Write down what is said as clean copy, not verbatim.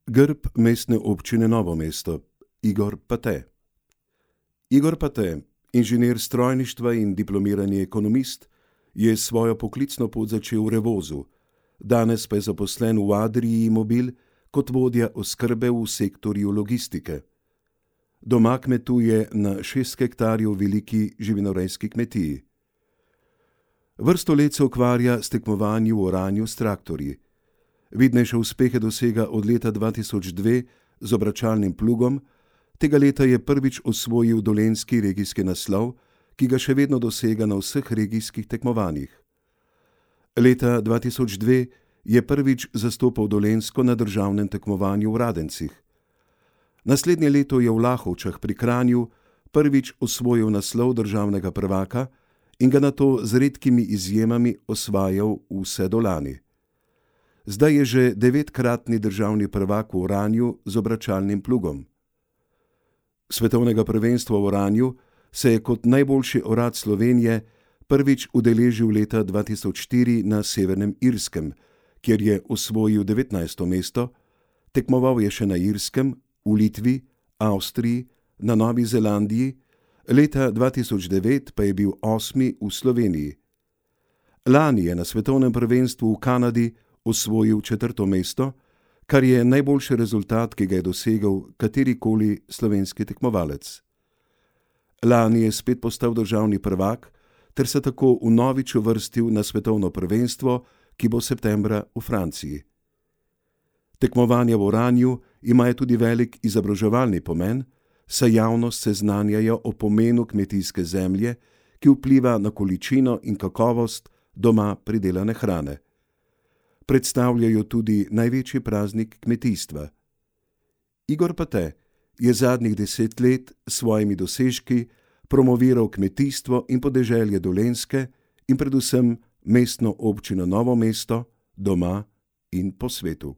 Grb mestne občine Novo mesto. Igor Pate. Igor Pate, inženir strojništva in diplomirani ekonomist, je svojo poklicno pot začel v Revozu, danes pa je zaposlen v Adrii Mobil kot vodja oskrbe v sektorju logistike. Doma kmetuje na 6 hektarjev veliki živinorejski kmetiji. Vrsto let se ukvarja s tekmovanji v oranju s traktorji. Vidnejše uspehe dosega od leta 2002 z obračalnim plugom, tega leta je prvič osvojil dolenjski regijski naslov, ki ga še vedno dosega na vseh regijskih tekmovanjih. Leta 2002 je prvič zastopal Dolenjsko na državnem tekmovanju v Radencih. Naslednje leto je v Lahovčah pri Kranju prvič osvojil naslov državnega prvaka in ga nato z redkimi izjemami osvajal vse do lani. Zdaj je že 9-kratni državni prvak v oranju z obračalnim plugom. Svetovnega prvenstva v oranju se je kot najboljši orad Slovenije prvič udeležil leta 2004 na Severnem Irskem, kjer je osvojil 19. mesto, tekmoval je še na Irskem, v Litvi, Avstriji, na Novi Zelandiji, leta 2009 pa je bil 8. v Sloveniji. Lani je na svetovnem prvenstvu v Kanadi osvojil 4. mesto, kar je najboljši rezultat, ki ga je dosegel katerikoli slovenski tekmovalec. Lani je spet postal državni prvak ter se tako vnovič uvrstil na svetovno prvenstvo, ki bo septembra v Franciji. Tekmovanja v oranju imajo tudi velik izobraževalni pomen, saj javnost seznanjajo o pomenu kmetijske zemlje, ki vpliva na količino in kakovost doma pridelane hrane. Predstavljajo tudi največji praznik kmetijstva. Igor Pate je zadnjih 10 let s svojimi dosežki promoviral kmetijstvo in podeželje Dolenjske in predvsem mestno občino Novo mesto, doma in po svetu.